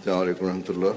السلام عليكم ورحمة الله.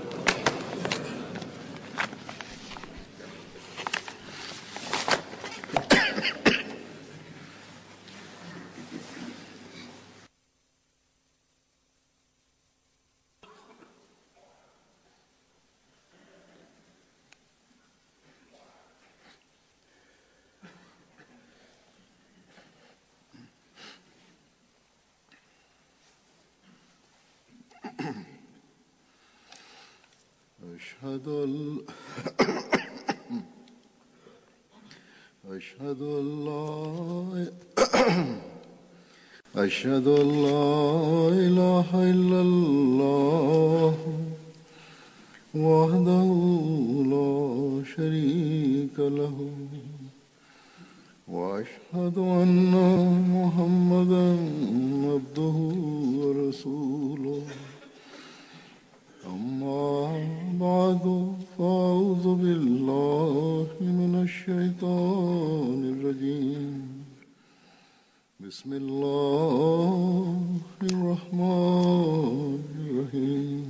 أشهد أن لا إله إلا الله وحده لا شريك له وأشهد أن محمدا عبده ورسوله أما بعد فأعوذ بالله من الشيطان الرجيم بسم الله الرحمن الرحيم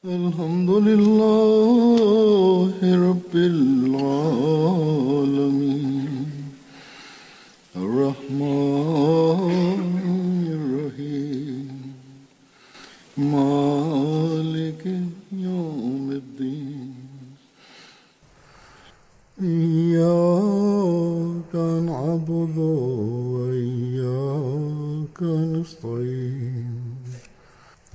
الحمد لله رب العالمين الرحمن الرحيم مالك يوم الدين إياك نعبد وإياك نستعين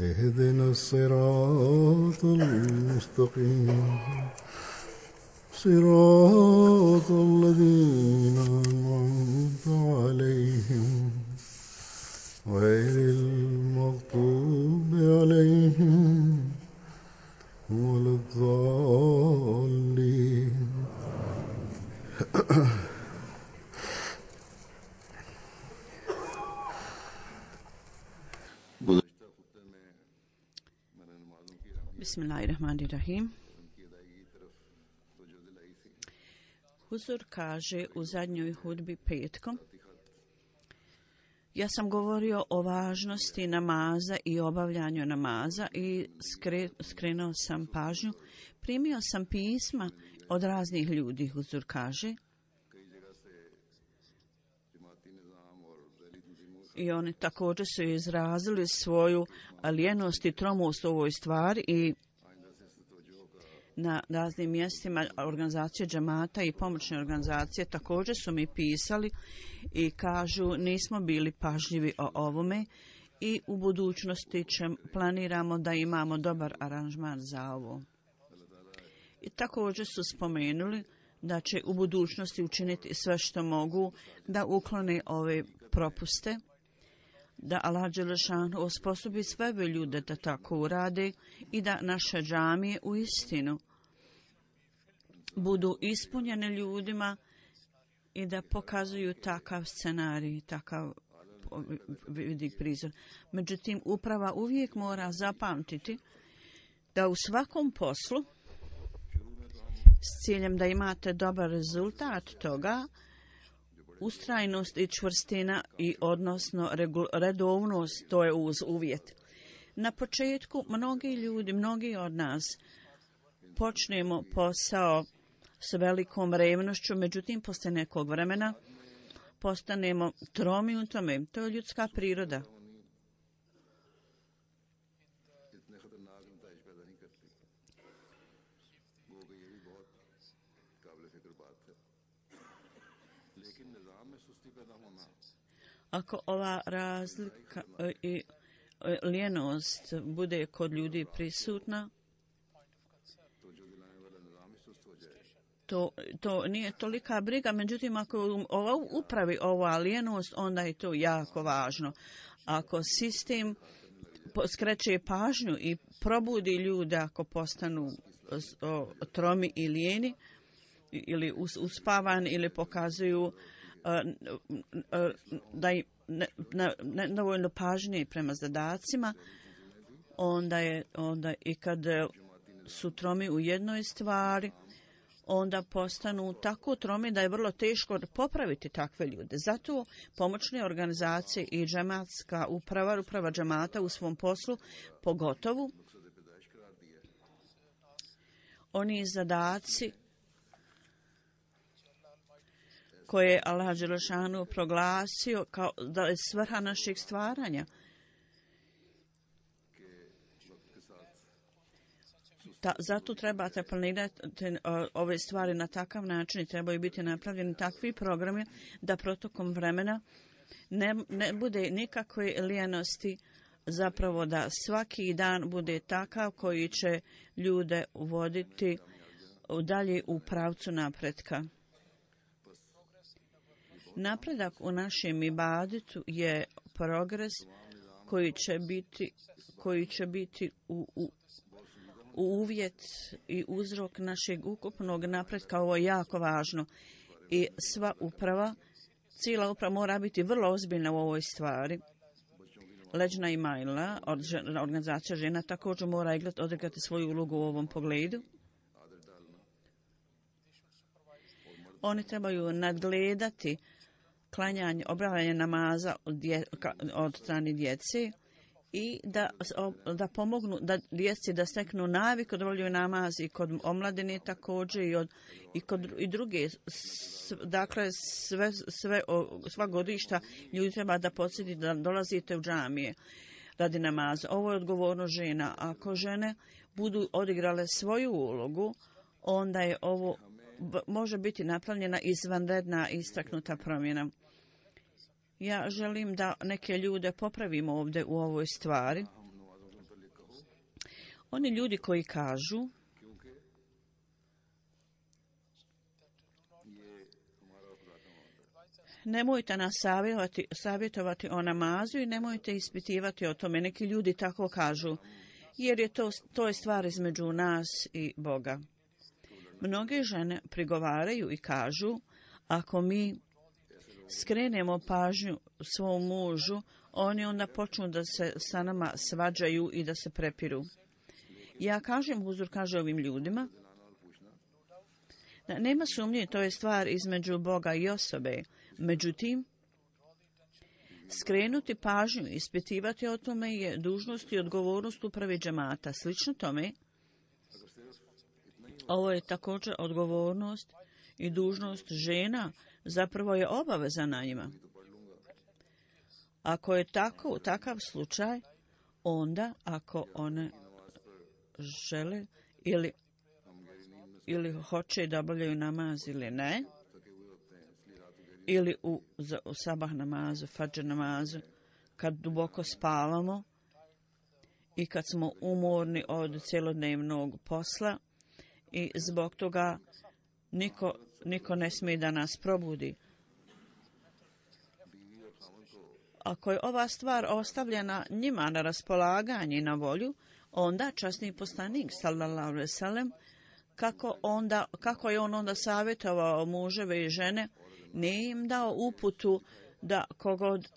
اهدنا الصراط المستقيم صراط الذين أنعمت عليهم غير المغضوب عليهم ولا الضالين. Bismillahirrahmanirrahim. Huzur kaže u zadnjoj hudbi petkom: ja sam govorio o važnosti namaza i obavljanju namaza i skrenuo sam pažnju. Primio sam pisma od raznih ljudi, Huzur kaže, i oni također su izrazili svoju lijenost i tromost u ovoj stvari i na raznim mjestima organizacije džemata i pomoćne organizacije također su mi pisali i kažu nismo bili pažljivi o ovome i u budućnosti planiramo da imamo dobar aranžman za ovo. I također su spomenuli da će u budućnosti učiniti sve što mogu da uklone ove propuste, da Allah dželešanu osposobi sve ljude da tako urade i da naše džamije u istinu budu ispunjene ljudima i da pokazuju takav scenarij, takav vidik prizor. Međutim, uprava uvijek mora zapamtiti da u svakom poslu s ciljem da imate dobar rezultat toga, ustrajnost i čvrstina i odnosno redovnost, to je uz uvjet. Na početku mnogi od nas počnemo posao s velikom revnošću, međutim poslije nekog vremena postanemo tromi u tome. To je ljudska priroda. Ako ova razlika i lijenost bude kod ljudi prisutna, to nije tolika briga, međutim ako ova upravi ova lijenost, onda je to jako važno. Ako sistem skreće pažnju i probudi ljude ako postanu tromi i lijeni ili uspavani ili pokazuju da nedovoljno pažnje prema zadacima, onda i kad su tromi u jednoj stvari, onda je to jako važno. Ako ova razlika i lijenost bude kod ljudi prisutna, to nije tolika briga, međutim ako ova upravi ova lijenost, onda je to jako važno. Ako sistem skreće pažnju i probudi ljude ako postanu tromi ili lijeni ili uspavani ili pokazuju da nedovoljno pažnje prema zadacima, onda onda postanu tako tromi da je vrlo teško popraviti takve ljude. Zato pomoćne organizacije i džematska uprava džemata u svom poslu, pogotovo oni zadaci koje je Allah dželešanu proglasio kao da je svrha našeg stvaranja. Zato trebate planirati ove stvari na takav način i trebaju biti napravljeni takvi programi da protokom vremena ne bude nikakve lijenosti, zapravo da svaki dan bude takav koji će ljude voditi dalje u pravcu napretka. Napredak u našem ibadetu je progres koji će biti uvjet i uzrok našeg ukupnog napretka. Ovo je jako važno i cijela uprava mora biti vrlo ozbiljna u ovoj stvari. Leđna i Majla, organizacija žena, također mora odigrati svoju ulogu u ovom pogledu. Oni trebaju nadgledati obavljanje namaza od strane djece i da pomognu da djeci da steknu naviku da obavljaju namaz i kod omladine također i druge. Dakle, sva godišta ljudi treba da podsjeti da dolazite u džamije radi namaza. Ovo je odgovorno žena. Ako žene budu odigrale svoju ulogu, onda je ovo može biti napravljena izvanredna istaknuta promjena. Ja želim da neke ljude popravimo ovdje u ovoj stvari. Oni ljudi koji kažu nemojte nas savjetovati o namazu i nemojte ispitivati o tome. Neki ljudi tako kažu, jer je to je stvar između nas i Boga. Mnoge žene prigovaraju i kažu, ako mi skrenemo pažnju svom mužu, oni onda počnu da se sa nama svađaju i da se prepiru. Ja kažem, Huzur kaže ovim ljudima, da nema sumnje, to je stvar između Boga i osobe. Međutim, skrenuti pažnju, ispitivati o tome je dužnost i odgovornost uprave džemata. Slično tome, ovo je također odgovornost i dužnost žena, zapravo je obaveza na njima. Ako je takav slučaj, onda ako one žele ili hoće da obavljaju namaz ili ne, ili u sabah namazu, fadžr namazu, kad duboko spavamo i kad smo umorni od cjelodnevnog posla i zbog toga niko ne smije da nas probudi. Ako je ova stvar ostavljena njima na raspolaganje i na volju, onda časni poslanik sallallahu alejhi ve sellem kako je on onda savjetovao muževe i žene, nije im dao uputu da kogod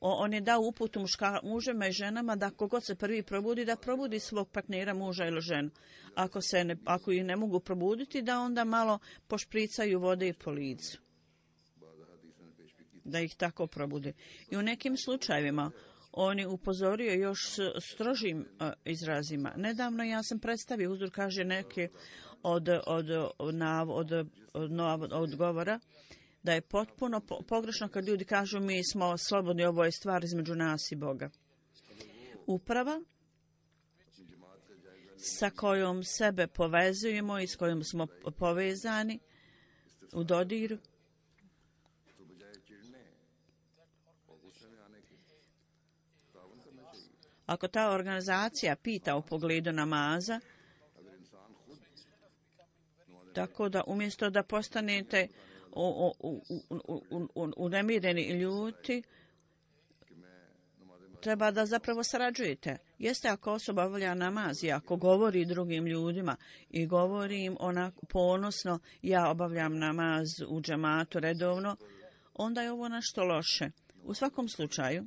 on je dao uputu muževima i ženama da kogod se prvi probudi, da probudi svog partnera, muža ili ženu. Ako ih ne mogu probuditi, da onda malo pošpricaju vode i po licu. Da ih tako probude. I u nekim slučajevima on je upozorio još strožim izrazima. Nedavno ja sam predstavio, Huzur kaže neke od odgovora, da je potpuno pogrešno kad ljudi kažu mi smo slobodni, ovo je stvar između nas i Boga. Uprava sa kojom sebe povezujemo i s kojom smo povezani u dodiru, ako ta organizacija pita u pogledu namaza, tako da umjesto da postanete unemireni i ljuti, treba da zapravo sarađujete. Jeste ako osoba obavlja namaz i ako govori drugim ljudima i govori im onako ponosno, ja obavljam namaz u džematu redovno, onda je ovo nešto loše. U svakom slučaju,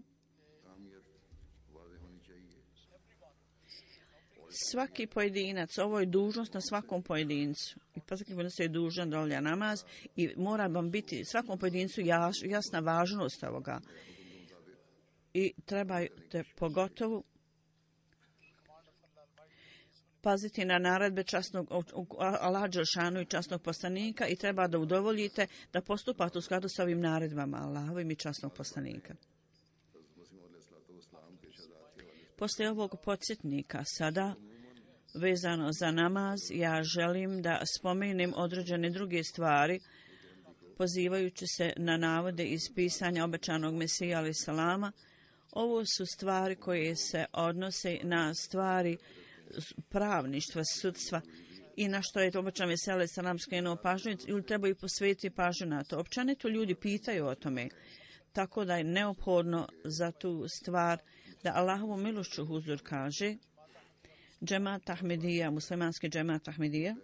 Svaki pojedinac, ovo je dužnost na svakom pojedincu. I pa svaki pojedinac je dužan da obavlja namaz i mora vam biti svakom pojedincu jasna važnost ovoga. I trebate pogotovo paziti na naredbe časnog Allaha dželešanu i časnog poslanika i treba da udovoljite da postupate u skladu sa ovim naredbama Allahovim i časnog poslanika. Poslije ovog podsjetnika sada vezano za namaz, ja želim da spomenem određene druge stvari pozivajući se na navode iz pisanja obećanog Mesija alejhi selama. Ovo su stvari koje se odnose na stvari pravništva, sudstva i na što je obećan Mesija alejhi selam skrenuo pažnju, ili trebaju posvetiti pažnju na to. Općenito ljudi pitaju o tome, tako da je neophodno za tu stvar da Allahovu milošću huzur kaže džemat Ahmedija, muslimanski džemat Ahmedija.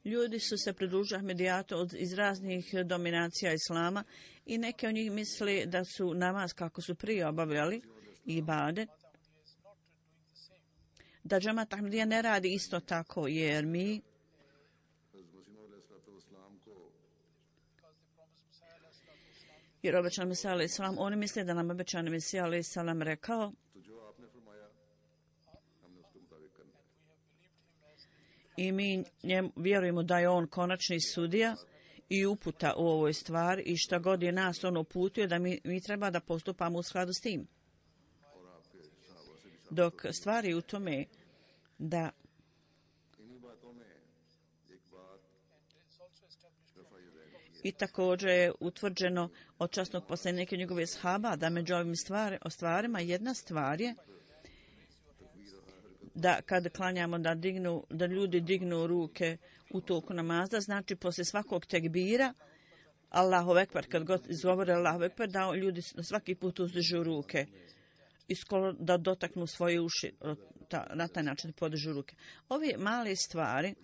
Ljudi su se pridružili Ahmedijatu iz raznih dominacija islama i neki od njih misle da su namaz kako su prije obavljali i ibadet, da džemat Ahmedija ne radi isto tako, jer mi jer obećan Mesija alejhi selam, oni misle da nam obećan Mesija alejhi selam rekao i mi vjerujemo da je on konačni sudija i uputa u ovoj stvari i šta god je nas on uputio da mi treba da postupamo u skladu s tim. Dok stvari u tome da i također je utvrđeno od časnog poslanika njegove ashaba da među ovim stvarima jedna stvar je da kad klanjamo da ljudi dignu ruke u toku namaza, znači poslije svakog tekbira Allahu ekber, kad god izgovore Allahu ekber, da ljudi svaki put uzdižu ruke i skoro da dotaknu svoje uši, na taj način podižu ruke. Ove male stvari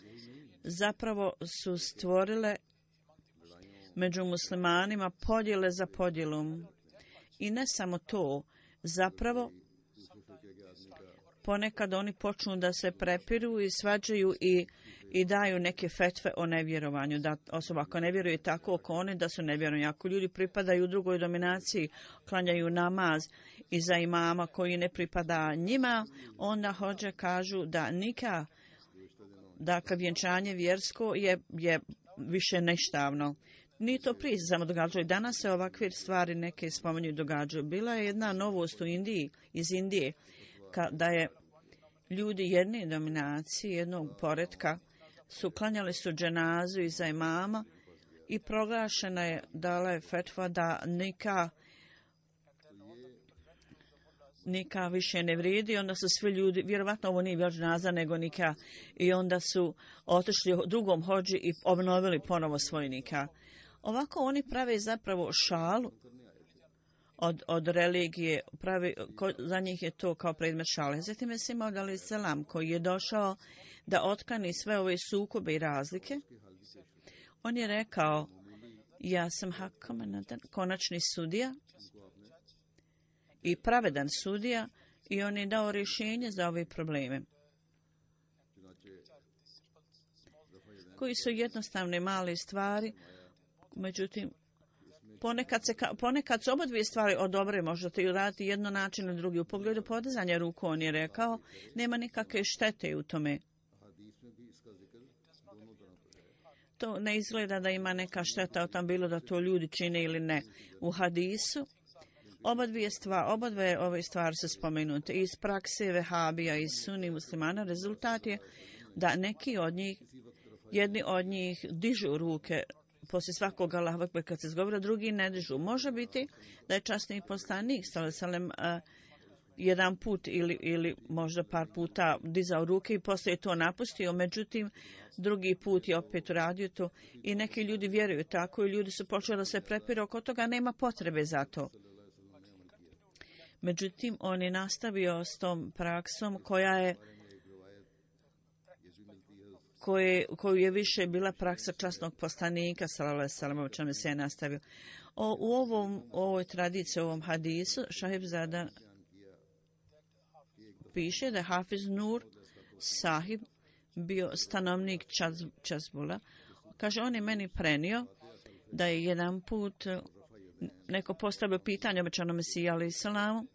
zapravo su stvorile među muslimanima podjele za podjelom. I ne samo to, zapravo ponekad oni počnu da se prepiru i svađaju i daju neke fetve o nevjerovanju. Da osoba ako ne vjeruje tako oko one, da su nevjerovani. Ako ljudi pripadaju u drugoj dominaciji, klanjaju namaz iza imama koji ne pripada njima, onda hođe kažu da dakle vjenčanje vjersko je više neštavno. Nije to prije samo događalo. Danas se ovakve stvari neke spominju događaju. Bila je jedna novost iz Indije, da je ljudi jedne dominacije, jednog poretka, klanjali su dženazu iza imama i proglašena je, dala je fetva da nika više ne vrijedi. Onda su svi ljudi, vjerovatno ovo nije bila dženaza nego nika, i onda su otišli drugom hođi i obnovili ponovo svoj nika. Ovako oni prave zapravo šalu od religije, za njih je to kao predmet šale. Zatim je Mesija alejhi selam koji je došao da otkloni sve ove sukobe i razlike. On je rekao, ja sam konačni sudija i pravedan sudija i on je dao rješenje za ove probleme koji su jednostavne male stvari. Međutim, ponekad su oba dvije stvari odobre, možete uraditi jedno način ili drugi. U pogledu podizanja ruku on je rekao, nema nikakve štete u tome. To ne izgleda da ima neka šteta o tom, bilo da to ljudi čine ili ne. U hadisu oba dve ove stvari su spomenute iz prakse vehabija i sunni muslimana. Rezultat je da jedni od njih dižu ruke poslije svakog Allahu ekber kad se izgovara, drugi ne dižu. Može biti da je časni poslanik sallallahu jedan put ili možda par puta dizao ruke i poslije je to napustio, međutim drugi put je opet uradio to i neki ljudi vjeruju tako i ljudi su počeli da se prepiru oko toga, nema potrebe za to. Međutim, on je nastavio s tom praksom koju je više bila praksa časnog poslanika sallallahu alejhi ve sellem, o čemu se je nastavio. U ovoj tradiciji, u ovom hadisu, Šahib Zada piše da Hafiz Nur Sahib bio stanovnik Čazbula. Kaže, on je meni prenio da je jedan put neko postavio pitanje obećanom Mesiji alejhi selamu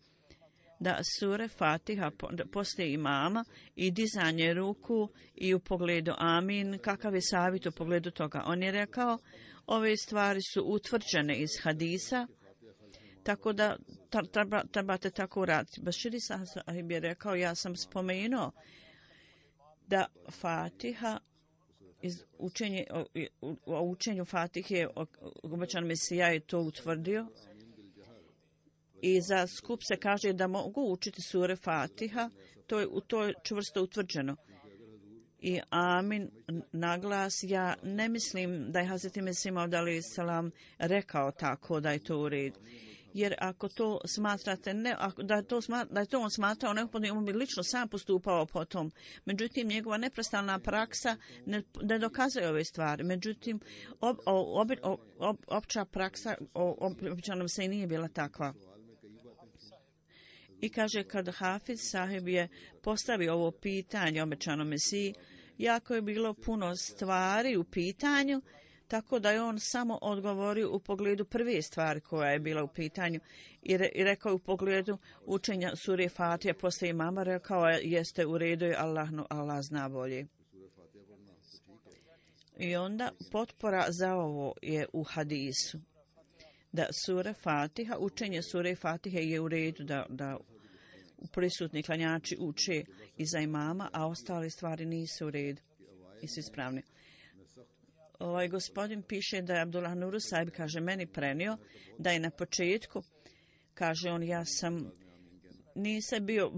da sure Fatiha poslije imama i dizanje ruku i u pogledu amin, kakav je savjet u pogledu toga. On je rekao, ove stvari su utvrđene iz hadisa, tako da trebate tako raditi. Baširi Sahib je rekao, ja sam spomenuo da Fatiha o učenju Fatihe obećan Mesija je to utvrdio i za skup se kaže da mogu učiti sure Fatiha, to je čvrsto utvrđeno. I amin naglas, ja ne mislim da je Hazreti Mesih Maud alejhi selam rekao tako da je to u redu. Jer ako to smatrate, da je to on smatrao neophodno, on bi lično sam postupao po tom. Međutim, njegova neprestana praksa ne dokazuje ove stvari. Međutim, opća praksa običanom se i nije bila takva. I kaže, kad Hafiz Sahib je postavio ovo pitanje obećanom Mesiji, jako je bilo puno stvari u pitanju, tako da je on samo odgovorio u pogledu prve stvari koja je bila u pitanju i rekao u pogledu učenja sure Fatiha poslije imama, rekao jeste u redu i Allah zna bolje. I onda potpora za ovo je u hadisu, da sura Fatiha, učenje sure Fatihe je u redu da prisutni klanjači uče iza imama, a ostale stvari nisu u redu i su ispravne. Ovaj gospodin piše da je Abdullah Nur Sahib, kaže, meni prenio da je na početku, kaže on, nisam bio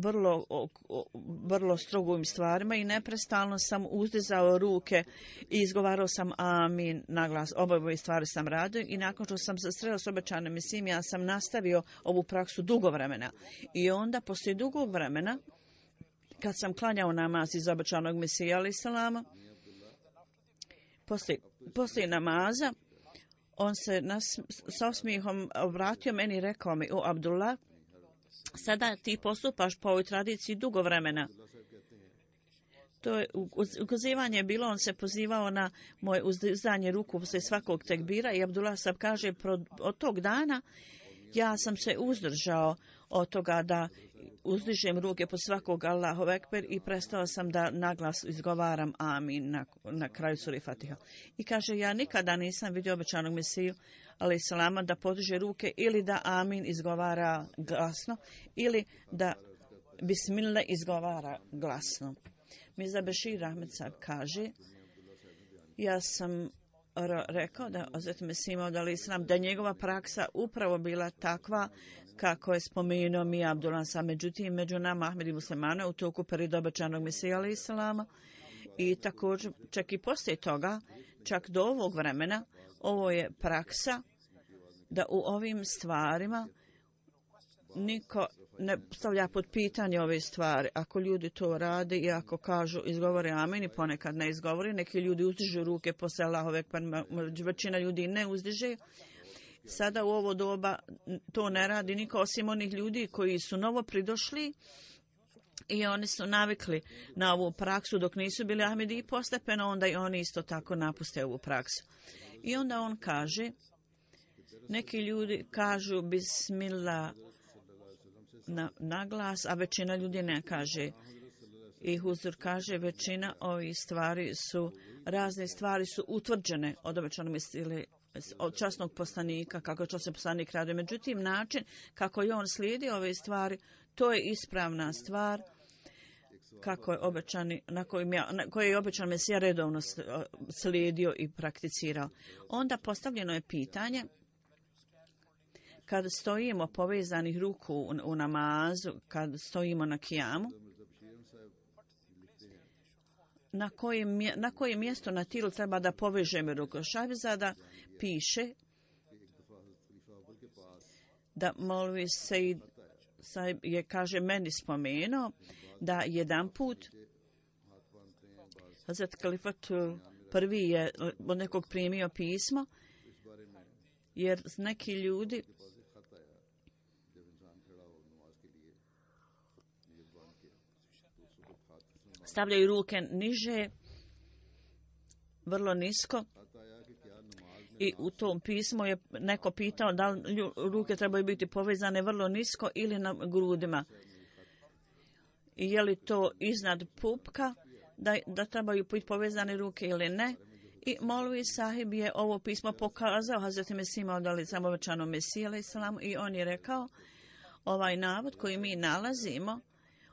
vrlo strog u ovim stvarima i neprestalno sam uzdizao ruke i izgovarao sam amin na glas. Oboje stvari sam radio i nakon što sam se sreo s obećanim Mesijom, ja sam nastavio ovu praksu dugo vremena. I onda, poslije dugog vremena, kad sam klanjao namaz iz obećanog Mesija alejhi selama, poslije namaza, on se sa osmijehom obratio meni i rekao mi, o Abdullah, sada ti postupaš po ovoj tradiciji dugo vremena. To je ukazivanje bilo, on se pozivao na moje uzdizanje ruku poslije svakog tekbira i Abdullah Sahib kaže, od tog dana ja sam se uzdržao od toga da uzdižem ruke po svakog Allahu Ekber i prestao sam da naglas izgovaram amin na kraju sure Fatiha. I kaže, ja nikada nisam vidio obećanog Mesiju alejhi selama da podiže ruke ili da amin izgovara glasno ili da bismillah izgovara glasno. Mirza Bešir Ahmed Sahib kaže, ja sam rekao da Hazreti Mesih Maud alejhi selam da njegova praksa upravo bila takva kako je spomenuo mi Abdullah Sahib. Međutim, među nama Ahmed i muslimana u toku perioda obećanog Mesija alejhi selama i također čak i poslije toga, čak do ovog vremena, ovo je praksa da u ovim stvarima niko ne stavlja pod pitanje ove stvari. Ako ljudi to rade i ako kažu izgovore amin i ponekad ne izgovore, neki ljudi uzdižu ruke posle Allahove, pa većina ljudi ne uzdiže. Sada u ovo doba to ne radi niko osim onih ljudi koji su novo pridošli i oni su navikli na ovu praksu dok nisu bili Ahmedi i postepeno onda i oni isto tako napuste ovu praksu. I onda on kaže, neki ljudi kažu bismillah na glas, a većina ljudi ne kaže. I Huzur kaže, većina ovih stvari su, razne stvari su utvrđene od obećanog ili od časnog poslanika, kako je časni poslanik radio. Međutim, način kako je on slijedi ove stvari, to je ispravna stvar kako je obećani, na koje je obećan Mesija redovno slijedio i prakticirao. Onda postavljeno je pitanje, kad stojimo povezanih ruku u namazu, kad stojimo na kijamu, na koje mjesto na tilu treba da povežemo ruku. Šahbizada piše da Molvi Sejd je, kaže, meni spomenuo da jedan put Hazret Kalifat prvi je od nekog primio pismo, jer neki ljudi stavljaju ruke niže, vrlo nisko. I u tom pismu je neko pitao da li ruke trebaju biti povezane vrlo nisko ili na grudima. I je li to iznad pupka, da trebaju biti povezane ruke ili ne. I Molvi Sahib je ovo pismo pokazao Hazreti Mesih Maud alejhi selam, obećanom Mesiji alejhi selam, i on je rekao, ovaj navod koji mi nalazimo,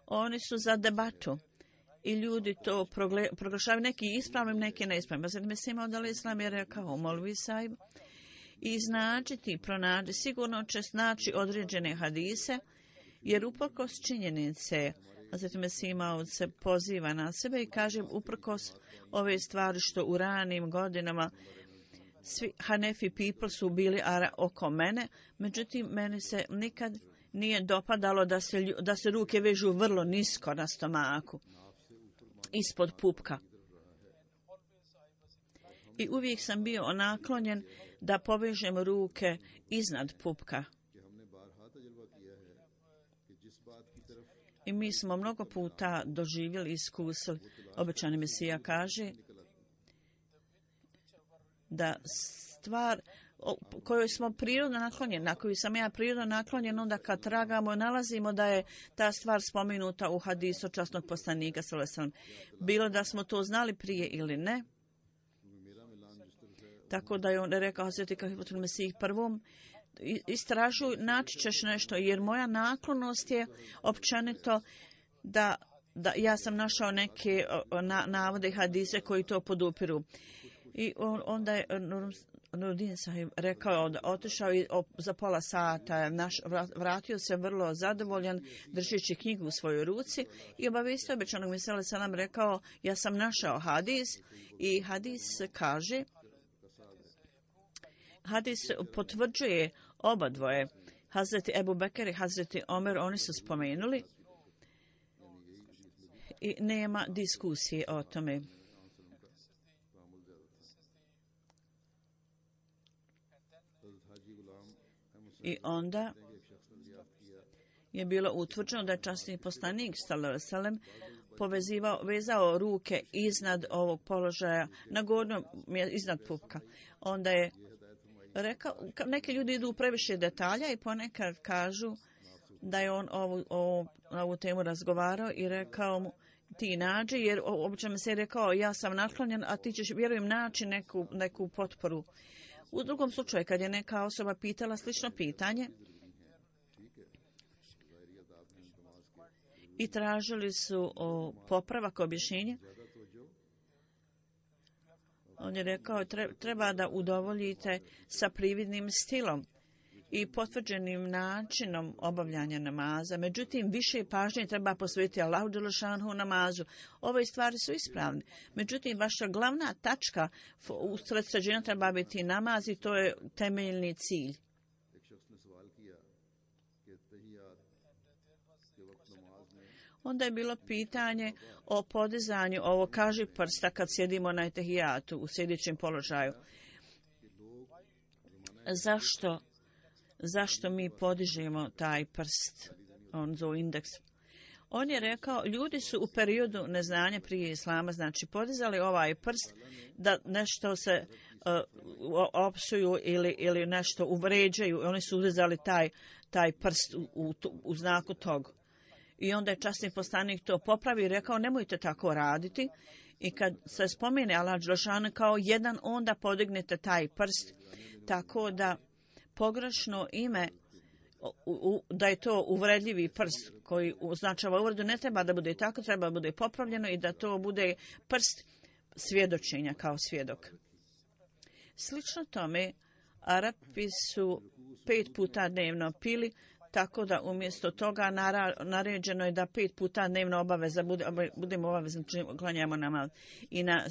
oni su za debatu. I ljudi to proglašavaju, neki ispravnim, neki neispravnim. Hazreti Mesih Maud alejhi selam je rekao Molvi Sahib, iznađiti, pronađi, sigurno će snaći određene hadise, jer uprkos činjenice, Hazreti Mesih Maud se poziva na sebe i kaže uprkos ove stvari što u ranim godinama svi Hanefi people su bili oko mene, međutim meni se nikad nije dopadalo da se ruke vežu vrlo nisko na stomaku, ispod pupka. I uvijek sam bio naklonjen da povežem ruke iznad pupka. I mi smo mnogo puta doživjeli, iskusili, obećani Mesija kaže da stvar kojoj smo prirodno naklonjeni, na koju sam ja prirodno naklonjen, onda kad tragamo nalazimo da je ta stvar spomenuta u hadisu časnog poslanika sallallahu alejhi ve sellem. Bilo da smo to znali prije ili ne. Tako da je on rekao Hazreti Kalifatul Mesih prvom, istražuj, naći ćeš nešto, jer moja naklonost je općenito da ja sam našao neke navode i hadise koji to podupiru. I onda je Nuruddin Sahib rekao da otišao i za pola sata vratio se vrlo zadovoljan držeći knjigu u svojoj ruci i obavijestio obećanog Mesija alejhi selam, rekao ja sam našao hadis i hadis kaže, hadis potvrđuje oba dvoje. Hazreti Ebu Bekr i Hazreti Omer, oni su spomenuli i nema diskusije o tome. I onda je bilo utvrđeno da je časni poslanik sallallahu alejhi ve sellem vezao ruke iznad ovog položaja, na gornjem, iznad pupka. Onda je rekao, neki ljudi idu u previše detalja i ponekad kažu da je on ovu temu razgovarao i rekao mu ti nađi, jer obično se je rekao ja sam naklonjen, a ti ćeš vjerujem naći neku potporu. U drugom slučaju, kad je neka osoba pitala slično pitanje i tražili su popravak, objašnjenje, on je rekao treba da udovoljite sa prividnim stilom i potvrđenim načinom obavljanja namaza. Međutim, više pažnje treba posvetiti Allahu dželešanhu namazu. Ove stvari su ispravne. Međutim, vaša glavna tačka usred sređenja treba biti namaz i to je temeljni cilj. Onda je bilo pitanje o podizanju ovo kaži prsta kad sjedimo na etehijatu u sjedećem položaju. Zašto mi podižemo taj prst, on zove indeks? On je rekao, ljudi su u periodu neznanja prije islama, znači podizali ovaj prst da nešto se opsuju ili nešto uvređaju. Oni su uzeli taj prst u znaku tog. I onda je časni poslanik to popravi i rekao, nemojte tako raditi. I kad se spomene Allah dželešanu kao jedan, onda podignete taj prst, tako da pogrešno ime, da je to uvredljivi prst koji označava uvredu, ne treba da bude tako, treba da bude popravljeno i da to bude prst svjedočenja kao svjedok. Slično tome, Arapi su 5 puta dnevno pili, tako da umjesto toga naređeno je da 5 puta dnevno obaveza budemo obavezni, klanjamo namaz. I na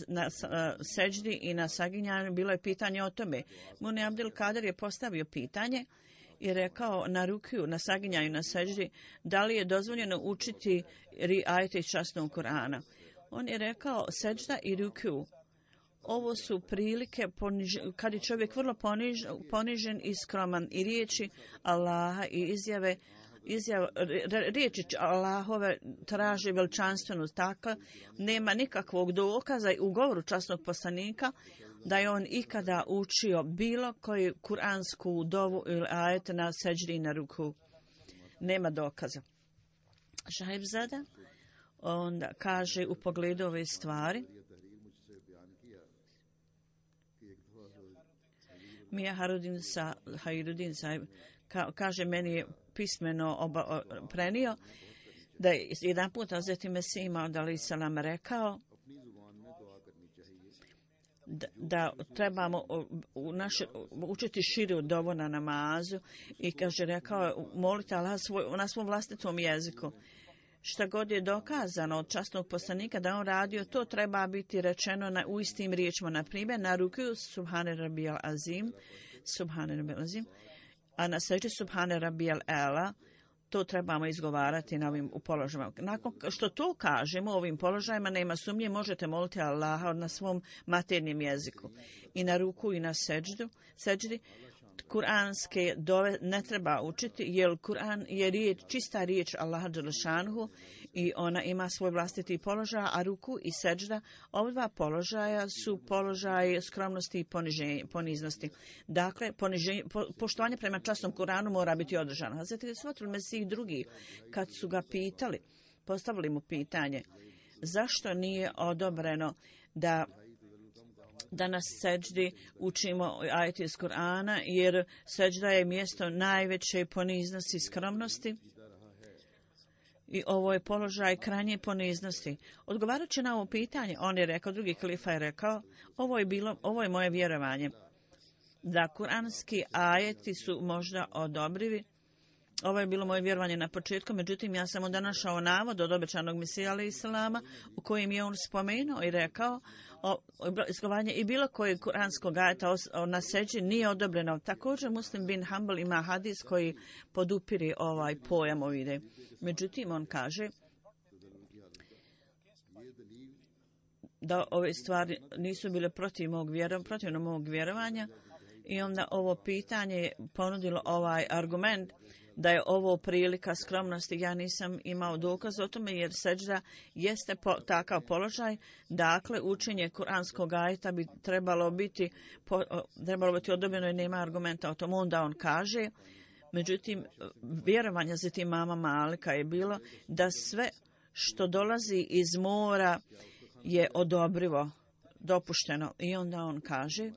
seđdi i na saginjanju bilo je pitanje o tome. Muni Abdul Kader je postavio pitanje i rekao na rukiju, na saginjanju, na seđdi, da li je dozvoljeno učiti ajete iz časnog Kur'ana. On je rekao seđda i rukiju. Ovo su prilike kad je čovjek vrlo ponižen i skroman i riječi Allaha i izjave riječi Allahove traži veličanstvenu, tako nema nikakvog dokaza u govoru časnog poslanika da je on ikada učio bilo koju kuransku dovu ili ajet na seđdi na ruku. Nema dokaza. Šahibzada onda kaže u pogledu ove stvari, Mija Hajrudin sahib kaže, meni je pismeno prenio da je jedan put Hazreti Mesih Maud alejhi selam rekao da trebamo učiti širu dovu na namazu i kaže, rekao, molite Allah na svom vlastitom jeziku. Šta god je dokazano od časnog poslanika da on radio, to treba biti rečeno u istim riječima. Na primjer, na ruku Subhane Rabijal Azim, a na seđdi Subhane Rabijal Ela, to trebamo izgovarati na ovim položajima. Nakon što to kažemo, ovim položajima nema sumnje, možete moliti Allaha na svom maternjem jeziku. I na ruku i na seđdi, kuranske dove ne treba učiti, jer Kur'an je čista riječ Allaha dželešanhu i ona ima svoj vlastiti položaj, a ruku i seđda, ova dva položaja su položaje skromnosti i poniznosti. Dakle, poštovanje prema časnom Kur'anu mora biti održano. Hazreti Svatul Mesih drugi, kad su ga pitali, postavili mu pitanje, zašto nije odobreno da na seđdi učimo ajeti iz Kur'ana, jer seđda je mjesto najveće poniznosti i skromnosti i ovo je položaj krajnje poniznosti. Odgovarajući na ovo pitanje, on je rekao, drugi kalifa je rekao, ovo je moje vjerovanje, da kuranski ajeti su možda odobrivi. Ovo je bilo moje vjerovanje na početku, međutim ja sam onda našao navod od obećanog Mesija alejhi selama u kojem je on spomenuo i rekao izgovaranje i bilo koje kuranskog ajeta na seđdi nije odobreno. Također Muslim bin Hanbal ima hadis koji podupire ovaj pojam ovdje. Međutim, on kaže da ove stvari nisu bile protivno mog vjerovanja i onda ovo pitanje je ponudilo ovaj argument da je ovo prilika skromnosti. Ja nisam imao dokaz o tome jer seđda jeste takav položaj. Dakle, učenje kuranskog ajeta bi trebalo biti odobreno i nema argumenta o tom. Onda on kaže, međutim, vjerovanje za tim mama Malika je bilo da sve što dolazi iz mora je odobrivo, dopušteno. I onda on kaže,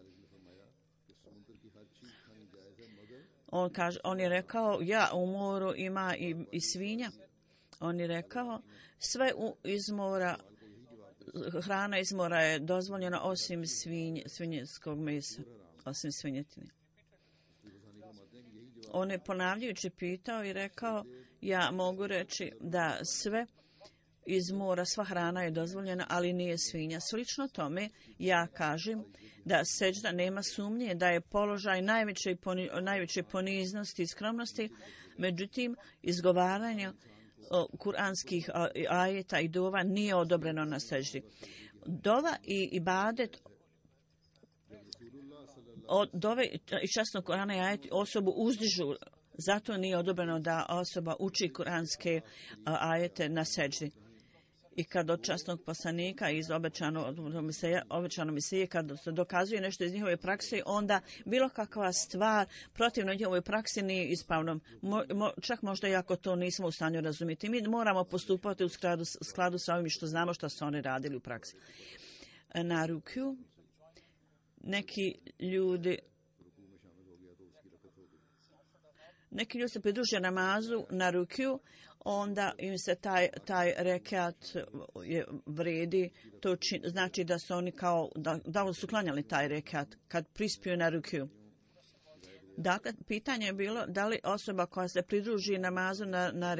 on je rekao, u moru ima i svinja. On je rekao, sve iz mora, hrana iz mora je dozvoljena osim svinjskog mesa, osim svinjetine. On je ponavljajući pitao i rekao, ja mogu reći da sve iz mora, sva hrana je dozvoljena, ali nije svinja. Slično tome, ja kažem da seđda nema sumnje da je položaj najveće poniznosti i skromnosti, međutim, izgovaranje kuranskih ajeta i dova nije odobreno na seđdi. Dova i ibadet dove i časnog Kurana i ajeti osobu uzdižu, zato nije odobreno da osoba uči kuranske ajete na seđdi. I kad od časnog poslanika iz obećano misije, kad se dokazuje nešto iz njihove prakse, onda bilo kakva stvar protivno njihovoj praksi nije ispravno. Čak možda i ako to nismo u stanju razumjeti. Mi moramo postupati u skladu sa ovim što znamo što su oni radili u praksi. Na rukju neki ljudi se pridruže namazu na rukju, onda im se taj rekat vredi, to znači da su oni da su klanjali taj rekat kad prispiju na rukju. Dakle, pitanje je bilo da li osoba koja se pridruži namazu na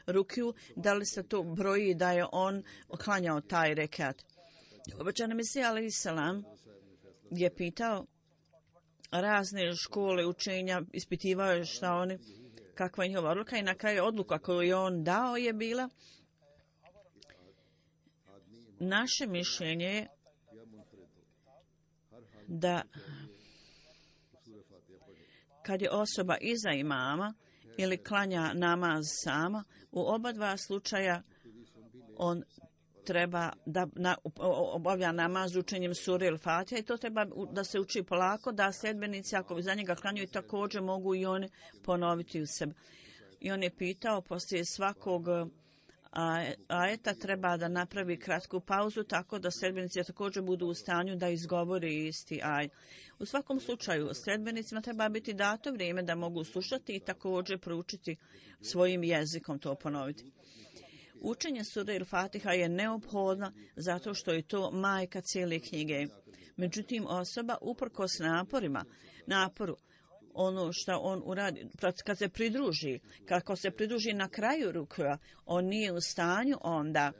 rukju, da li se to broji da je on klanjao taj rekat. Obećani Mesija alejhi selam je pitao razne škole učenja, ispitivao je šta oni, kakva je njihova odluka i na kraju odluka koju je on dao je bila naše mišljenje je da kad je osoba iza imama ili klanja namaz sama, u oba dva slučaja on treba da obavlja namaz učenjem sure ili Fatiha i to treba da se uči polako, da sljedbenici ako za njega klanjaju također mogu i oni ponoviti u sebi. I on je pitao poslije svakog ajeta treba da napravi kratku pauzu tako da sljedbenici također budu u stanju da izgovori isti ajet. U svakom slučaju sljedbenicima treba biti dato vrijeme da mogu slušati i također proučiti svojim jezikom to ponoviti. Učenje sure Il-Fatiha je neophodno zato što je to majka cijele knjige. Međutim, osoba uprkos naporu, ono što on uradi, kad se pridruži, kako se pridruži na kraju rukua, on nije u stanju onda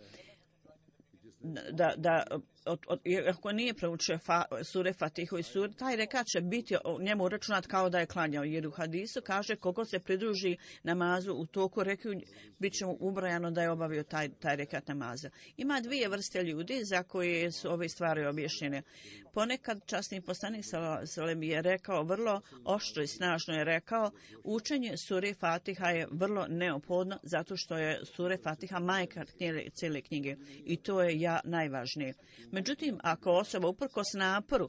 ako nije proučio sure Fatihu i sure, taj rekat će biti njemu računat kao da je klanjao. Jer u hadisu kaže koliko se pridruži namazu u toku rekiju, bit će mu ubrojano da je obavio taj rekat namaza. Ima dvije vrste ljudi za koje su ove stvari objašnjene. Ponekad časni poslanik salem je rekao, vrlo oštro i snažno je rekao, učenje sure Fatiha je vrlo neophodno zato što je sure Fatiha majka cijele knjige i to je najvažnije. Međutim, ako osoba uprkos naporu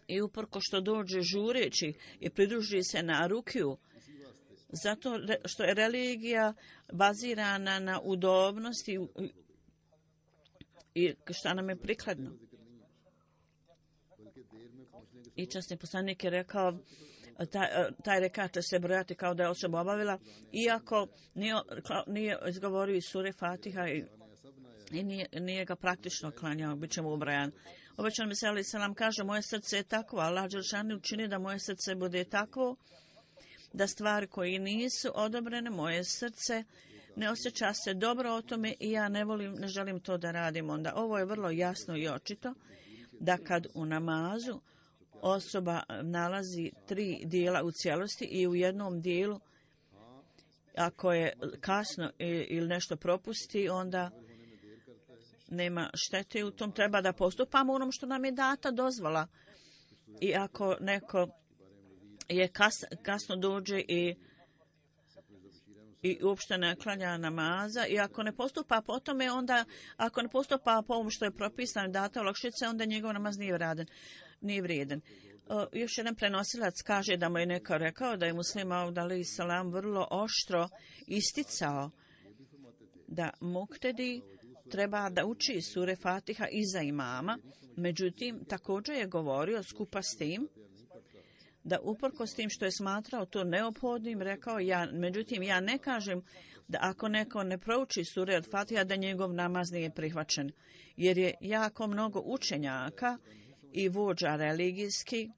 i uprko što dođe žureći i pridruži se na rukiju, zato što je religija bazirana na udobnosti i šta nam je prikladno. I časni poslanik je rekao, taj rekat će se brojati kao da je osoba obavila, iako nije izgovorio iz sure Fatiha i nije ga praktično klanjao, bit će mu ubrajan. Obećan mi se, ali salam kaže, moje srce je takvo, Allah dželešanu učini da moje srce bude takvo, da stvari koje nisu odobrene, moje srce ne osjeća se dobro o tome i ja ne želim to da radim. Onda ovo je vrlo jasno i očito, da kad u namazu osoba nalazi 3 dijela u cijelosti i u jednom dijelu, ako je kasno ili nešto propusti, onda nema štete u tom, treba da postupamo onom što nam je data dozvola. I ako neko je kasno dođe i uopšte ne klanja namaza i ako ne postupa po tome, onda ako ne postupa po ovom što je propisano data olakšice, onda njegov namaz nije vrijedan. Još jedan prenosilac kaže da mu je neko rekao da je Muslima Aud alejhi salam vrlo oštro isticao da muktedi treba da uči sure Fatiha iza imama, međutim također je govorio skupa s tim da uprkos tim što je smatrao to neophodnim, rekao međutim ja ne kažem da ako neko ne prouči sure od Fatiha da njegov namaz nije prihvaćen, jer je jako mnogo učenjaka i vođa religijski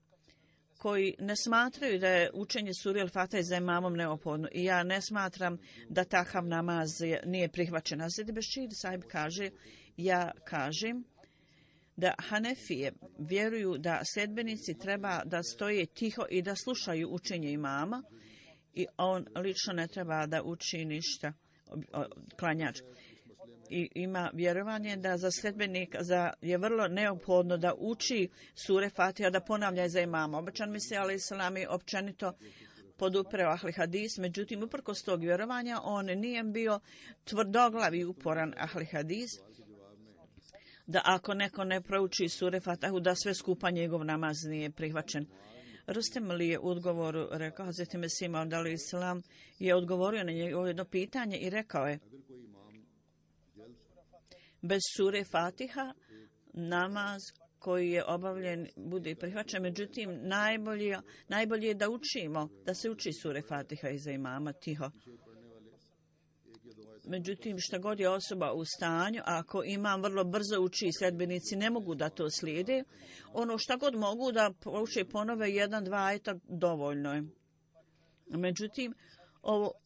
koji ne smatraju da je učenje sure al-Fatiha za imamom neophodno i ja ne smatram da takav namaz nije prihvaćen. Hazreti Bešir sahib kaže, ja kažem da Hanefije vjeruju da sljedbenici treba da stoje tiho i da slušaju učenje imama i on lično ne treba da uči ništa, klanjač. I ima vjerovanje da za sljedbenika je vrlo neophodno da uči sure Fatiha, da ponavlja za imama. Obećan mi se, alejhi selam, je općenito podupreo ahli hadis, međutim uprkos tog vjerovanja on nije bio tvrdoglav i uporan ahli hadis, da ako neko ne prouči sure Fatihu da sve skupa njegov namaz nije prihvaćen. Rustem li je u odgovoru rekao, Hazreti Mesih Maud alejhi selam je odgovorio na njegovo jedno pitanje i rekao je, bez sure Fatiha namaz koji je obavljen bude prihvaćen, međutim najbolje je da učimo, da se uči sure Fatiha iza imama tiho. Međutim, šta god je osoba u stanju, ako imam vrlo brzo uči, sljedbenici ne mogu da to slijede, ono šta god mogu da uče ponove 1-2 ajeta, dovoljno je. Međutim,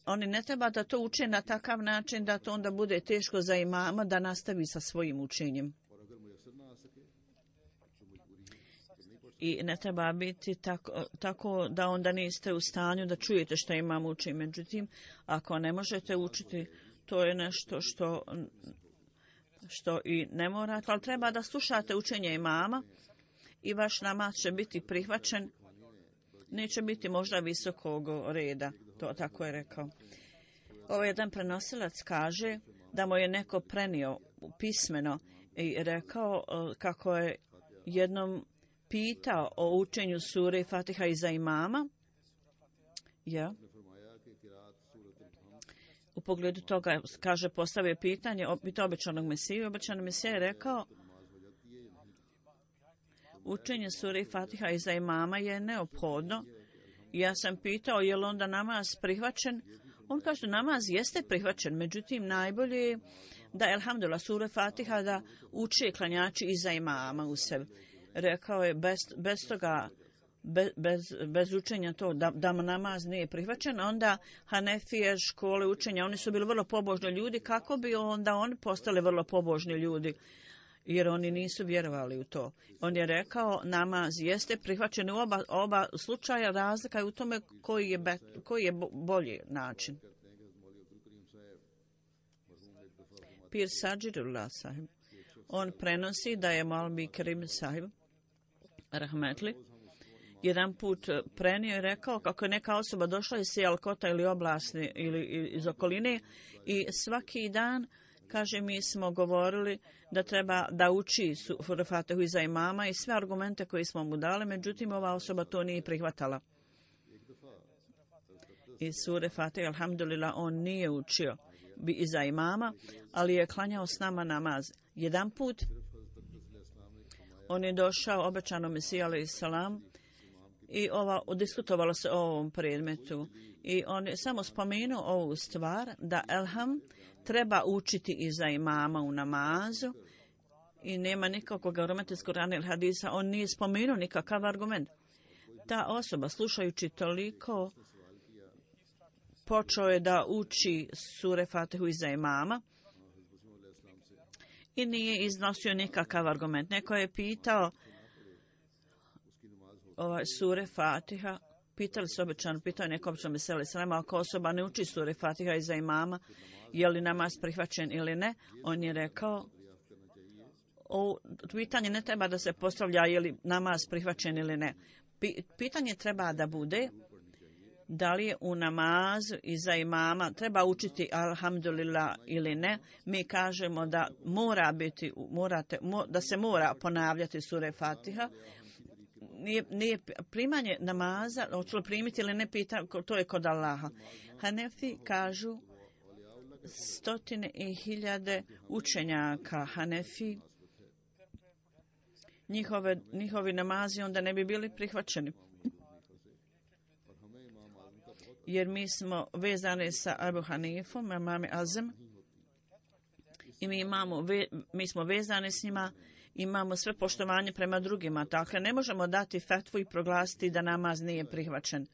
oni ne treba da to uče na takav način da to onda bude teško za imama da nastavi sa svojim učenjem. I ne treba biti tako da onda niste u stanju da čujete što imam uči. Međutim, ako ne možete učiti, to je nešto što i ne morate, ali treba da slušate učenje imama i vaš namaz će biti prihvaćen. Neće biti možda visokog reda, To tako je rekao. Ovo jedan prenosilac kaže da mu je neko prenio pismeno i rekao kako je jednom pitao o učenju sure Fatiha iza imama. Ja. U pogledu toga, kaže, postavio pitanje običanog Mesije. Običan Mesija je rekao učenje sure Fatiha iza imama je neophodno. Ja sam pitao je li onda namaz prihvaćen. On kaže namaz jeste prihvaćen, međutim najbolje je da elhamdulillah sure Fatiha da uče klanjači iza imama u sebi. Rekao je bez toga, bez učenja to da namaz nije prihvaćen, onda Hanefije škole učenja, oni su bili vrlo pobožni ljudi, kako bi onda oni postali vrlo pobožni ljudi? Jer oni nisu vjerovali u to. On je rekao namaz jeste prihvaćen u oba slučaja, razlika je u tome koji je bolji način. Pir Sađirullah sahib, on prenosi da je Maulvi Kerim sahib rahmetli jedan put prenio i rekao kako je neka osoba došla iz Sijalkota ili oblasti ili iz okoline i svaki dan, kaže, mi smo govorili da treba da uči suru Fatihu iza imama i sve argumente koje smo mu dali, međutim ova osoba to nije prihvatala. Iz sure Fatiha, alhamdulillah, on nije učio iza imama, ali je klanjao s nama namaz. Jedan put on je došao obećanom Mesiji alejhi salam i diskutovalo se o ovom predmetu i on je samo spomenuo ovu stvar da elham treba učiti iza imama u namazu i nema nikakvog argumenta iz Kurana ili hadisa, on nije spomenuo nikakav argument. Ta osoba, slušajući toliko, počeo je da uči sure Fatihu iza imama i nije iznosio nikakav argument. Neko je pitao sure Fatiha, pitali su običano, pitao je neko običano Mesija alejhi selam, ako osoba ne uči sure Fatiha iza imama, je li namaz prihvaćen ili ne? On je rekao, pitanje ne treba da se postavlja je li namaz prihvaćen ili ne. Pitanje treba da bude da li je u namazu iza imama treba učiti alhamdulillah ili ne. Mi kažemo da mora biti, da se mora ponavljati sure Fatiha. Nije primanje namaza, hoće li primiti ili ne, to je kod Allaha. Hanefi kažu 100.000 učenjaka Hanefi, njihovi namazi onda ne bi bili prihvaćeni. Jer mi smo vezani sa Abu Hanifom, imam Azem, i mi smo vezani s njima, imamo sve poštovanje prema drugima. Dakle, ne možemo dati fetvu i proglasiti da namaz nije prihvaćen.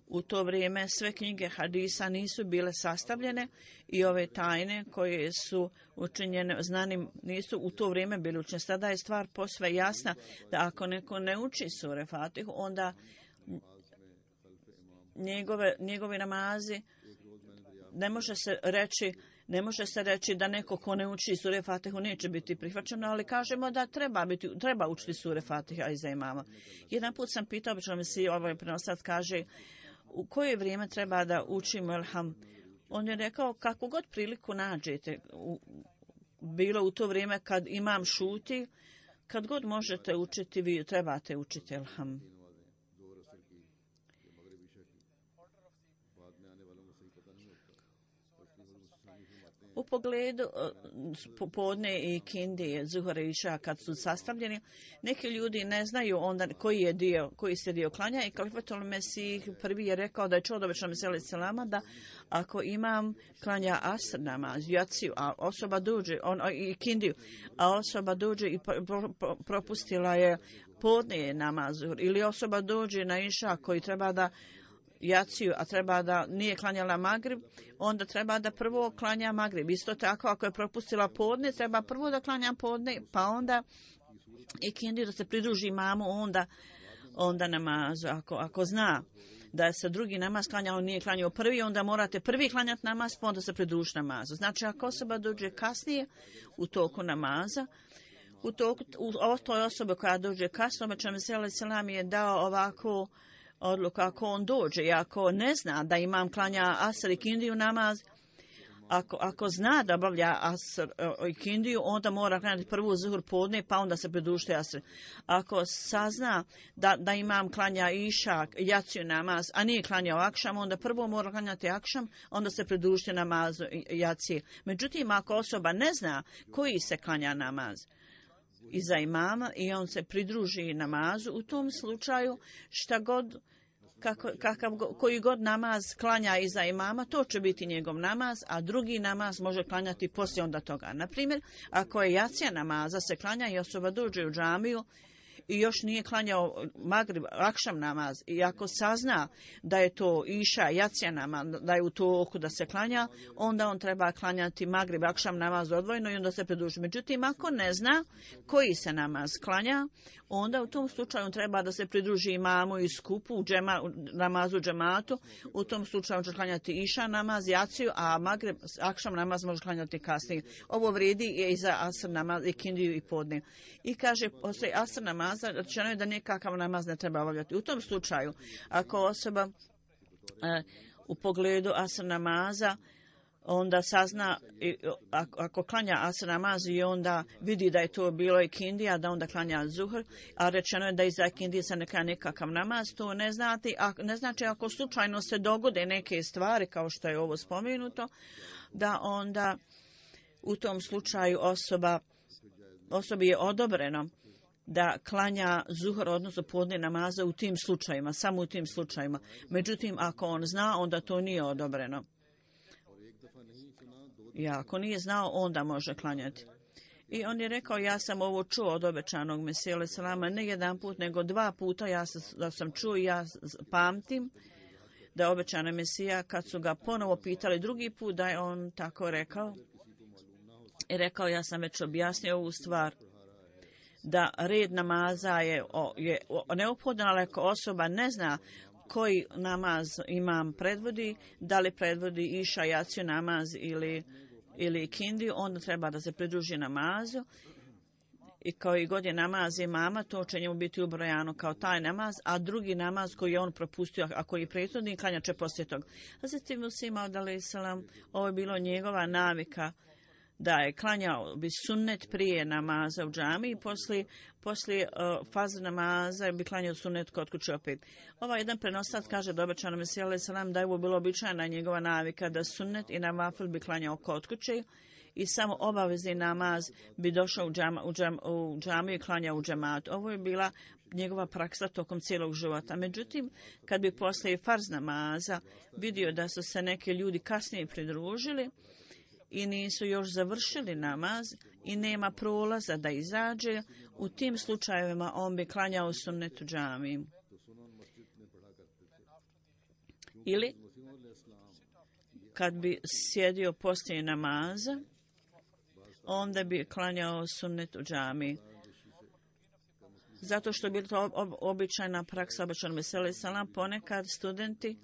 U to vrijeme sve knjige hadisa nisu bile sastavljene i ove tajne koje su učinjene znanim nisu u to vrijeme bile učinjene. Sada je stvar posve jasna da ako neko ne uči sure Fatihu, onda njegovi namazi ne može se reći da neko ko ne uči sure Fatihu neće biti prihvaćeno, ali kažemo da treba učiti sure Fatiha iza imama. Jedan put sam pitao, obično mi si ovaj prenosac kaže, u koje vrijeme treba da učimo elham? On je rekao, kako god priliku nađete, bilo u to vrijeme kad imam šuti, kad god možete učiti, vi trebate učiti elham. U pogledu podne i kindije, zuhore i iša kad su sastavljeni, neki ljudi ne znaju onda koji se dio klanja i Kalifatul Mesih prvi je rekao da je čuo od običnog Mesija alejhi selama da ako imam klanja asr namaz, jaciju, a osoba dođe i kindiju, a osoba dođe i propustila je podne namaz ili osoba dođe na iša koji treba da jaciju, a treba da nije klanjala magrib, onda treba da prvo klanja magrib. Isto tako, ako je propustila podne, treba prvo da klanja podne, pa onda i kindiju da se pridruži imamu, onda namazu. Ako zna da se drugi namaz klanjao, nije klanjao prvi, onda morate prvi klanjati namaz, pa onda se pridruži namazu. Znači, ako osoba dođe kasnije u toku namaza, u toj osobi koja dođe kasno, obično Mesija alejhi selam je dao ovako odluka ako on dođe i ako ne zna da imam klanja asr i kindiju namaz, ako zna da obavlja asr i kindiju, onda mora klanjati prvu zuhur podne, pa onda se pridružiti asr. Ako sazna da imam klanja iša, jaciju namaz, a nije klanjao akšam, onda prvo mora klanjati akšam, onda se pridružiti namazu jacije. Međutim, ako osoba ne zna koji se klanja namaz iza imama i on se pridruži namazu, u tom slučaju šta god koji god namaz klanja iza imama, to će biti njegov namaz, a drugi namaz može klanjati poslije onda toga. Naprimjer, ako je jacija namaza se klanja i osoba dođe u džamiju i još nije klanjao magrib, akšam namaz, i ako sazna da je to iša, jacija namaz, da je u toku da se klanja, onda on treba klanjati magrib, akšam namaz odvojeno i onda se pridruži. Međutim, ako ne zna koji se namaz klanja, onda u tom slučaju treba da se pridruži imamu i skupu u namazu džematu. U tom slučaju će klanjati iša namaz, jaciju, a magrib, akšam namaz može klanjati kasnije. Ovo vrijedi i za asr namaz, i kindiju i podne. I kaže, poslije asr namaza, rečeno je da nikakav namaz ne treba obavljati. U tom slučaju, ako osoba u pogledu asr namaza onda sazna, ako klanja asr namaz i onda vidi da je to bilo i kindija, da onda klanja zuhr, a rečeno je da iza kindije se ne klanja nikakav namaz, to ne znači ako slučajno se dogode neke stvari, kao što je ovo spomenuto, da onda u tom slučaju osobi je odobreno da klanja zuhr, odnosno podne namaza u tim slučajima, samo u tim slučajima. Međutim, ako on zna, onda to nije odobreno. I ako nije znao, onda može klanjati. I on je rekao, ja sam ovo čuo od obećanog Mesije alejhi selama, ne jedan put, nego 2 puta da sam čuo i ja pamtim da je obećana Mesija, kad su ga ponovo pitali drugi put, da je on tako rekao. I rekao, ja sam već objasnio ovu stvar, da red namaza je neophodan, ali ako osoba ne zna koji namaz imam predvodi, da li predvodi iša, jaciju namaz ili kindiju, onda treba da se pridruži namazu. I koji god je namaz imama, to će njemu biti ubrojano kao taj namaz, a drugi namaz koji je on propustio, a koji je prethodni, klanja će poslije toga. Hazreti Musa Maud alejhi selam, ovo je bilo njegova navika, da je klanjao bi sunnet prije namaza u džami i poslije fazr namaza bi klanjao sunnet kod kuće opet. Ovaj jedan prenosac kaže da obećano Mesija alejhi selam da je ovo bilo običajna njegova navika da sunnet i navafil bi klanjao kod kuće i samo obavezni namaz bi došao u džamiju i klanjao u džematu. Ovo je bila njegova praksa tokom cijelog života. Međutim, kad bi poslije farz namaza vidio da su se neki ljudi kasnije pridružili i nisu još završili namaz i nema prolaza da izađe, u tim slučajevima on bi klanjao sunnet u džamiji. Ili kad bi sjedio poslije namaza, onda bi klanjao sunnet u džamiji. Zato što bi to običajna praksa obećanog Mesije alejhi selam, ponekad studenti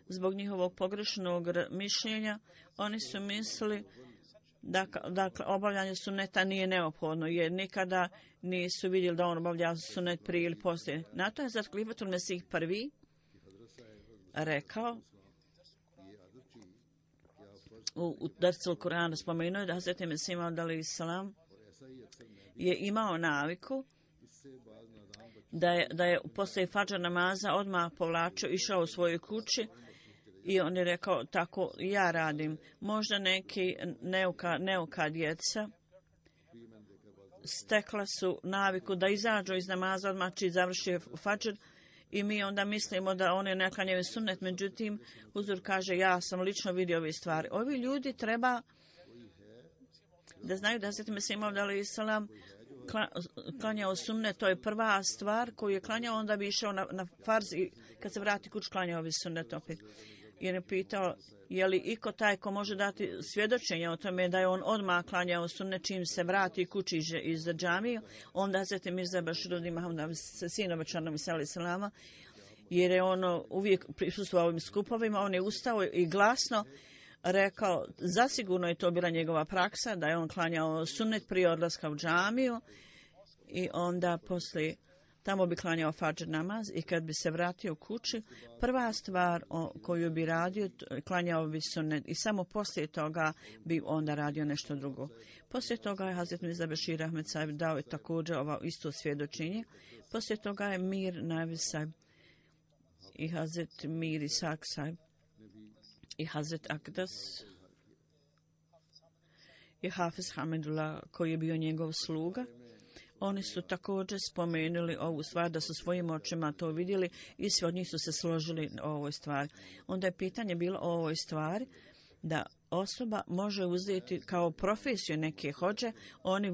zbog njihovog pogrešnog mišljenja, oni su mislili da obavljanje sunneta nije neophodno, jer nikada nisu vidjeli da on obavlja sunnet prije ili poslije. Na to je Hazrat Halifatul Mesih prvi rekao, u Darsul Kur'ana spomenuo je da Hazrat Mesih Maud alejhi selam je imao naviku da je poslije fadža namaza odmah povlačio, išao u svojoj kući i on je rekao, tako ja radim. Možda neki neuka djeca stekla su naviku da izađu iz namaza odmah čiji završi fadžr i mi onda mislimo da oni ne klanjaju sunnet. Međutim, Huzur kaže, ja sam lično vidio ove stvari. Ovi ljudi treba da znaju da Hazreti Mesih Maud alejhi selam klanjao sunnet, to je prva stvar koju je klanjao, onda bi išao na farz i kad se vrati kuć klanjao bi sunnet opet. Jer je pitao, je li iko taj ko može dati svjedočenje o tome da je on odmah klanjao sunnet čim se vrati kući iz džamije, onda Hazreti Mirza Baširudin Mahmud, sin obećanog Mesija alejhi selama, jer je on uvijek prisustvovao ovim skupovima, on je ustao i glasno rekao, zasigurno je to bila njegova praksa, da je on klanjao sunnet prije odlaska u džamiju i onda poslije Tamo bi klanjao fadžr namaz i kad bi se vratio kući, prva stvar koju bi radio, klanjao bi sunnet i samo poslije toga bi onda radio nešto drugo. Poslije toga je Hazret Mirza Bešir Ahmed Sahib dao je također ovo isto svjedočenje. Poslije toga je Mir Navis Sahib i Hazret Mir Isak Sahib i Hazret Akdas i Hafiz Hamidullah koji je bio njegov sluga. Oni su također spomenuli ovu stvar da su svojim očima to vidjeli i svi od njih su se složili o ovoj stvari. Onda je pitanje bilo o ovoj stvari da osoba može uzeti kao profesiju neke hodže, oni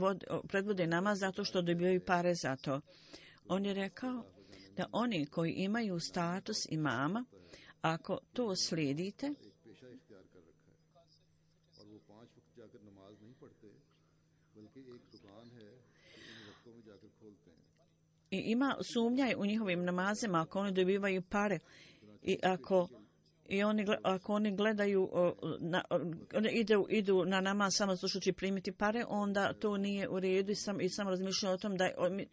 predvode namaz zato što dobijaju pare za to. On je rekao da oni koji imaju status imama, ako to slijedite, i ima sumnjaj u njihovim namazima ako oni dobivaju pare i ako oni gledaju idu na namaz samo slušajući primiti pare, onda to nije u redu i samo razmišljaju o tom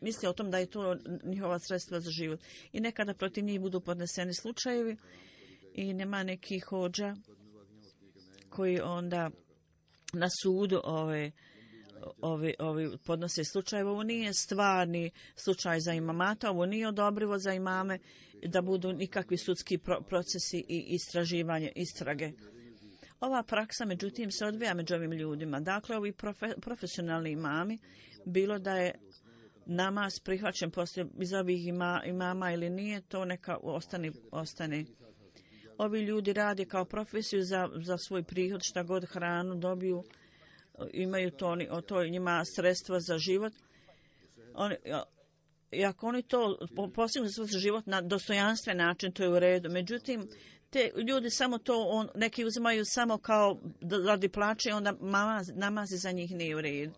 misle o tom da je to njihova sredstva za život. I nekada protiv njih budu podneseni slučajevi i nema nekih hodža koji onda na sudu ovi podnose slučajeve. Ovo nije stvarni slučaj za imamata, ovo nije odobrivo za imame da budu nikakvi sudski procesi i istrage. Ova praksa, međutim, se odvija među ovim ljudima. Dakle, ovi profesionalni imami, bilo da je namaz prihvaćen poslije iz ovih imama ili nije, to neka ostane. Ovi ljudi rade kao profesiju za svoj prihod, šta god hranu dobiju, imaju to njima sredstva za život. I ako oni to postignu za život na dostojanstven način, to je u redu. Međutim, te ljudi samo to, neki uzimaju samo kao radi plaće, onda namazi za njih nije u redu.